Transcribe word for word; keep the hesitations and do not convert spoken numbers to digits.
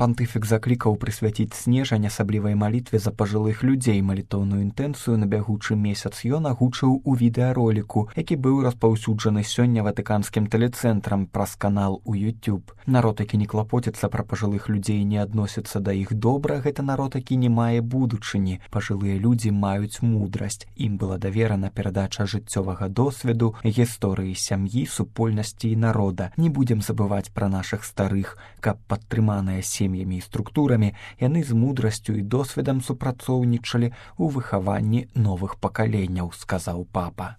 Пантыфік заклікаў прысвяціць снежань асаблівай малітве за пажылых людзей. Малітоўную інтэнцыю на бягучы месяц ён агучыў у відэароліку, які быў распаўсюджаны сёння ватыканскім тэлецэнтрам праз канал у YouTube. Народ, які не клапоціцца пра пажылых людзей, не адносіцца да іх добра, гэта народ, які не мае будучыні. Пажылыя людзі маюць мудрасць. Ім была даверана перадача жыццёвага досведу, гісторыі сям'і, супольнасці і народа. Не будзем забываць пра нашых старых, каб падтрыманыя сем'ямі і структурамі, яны з мудрасцю і досведам супрацоўнічалі ў выхаванні новых пакаленняў, сказаў папа.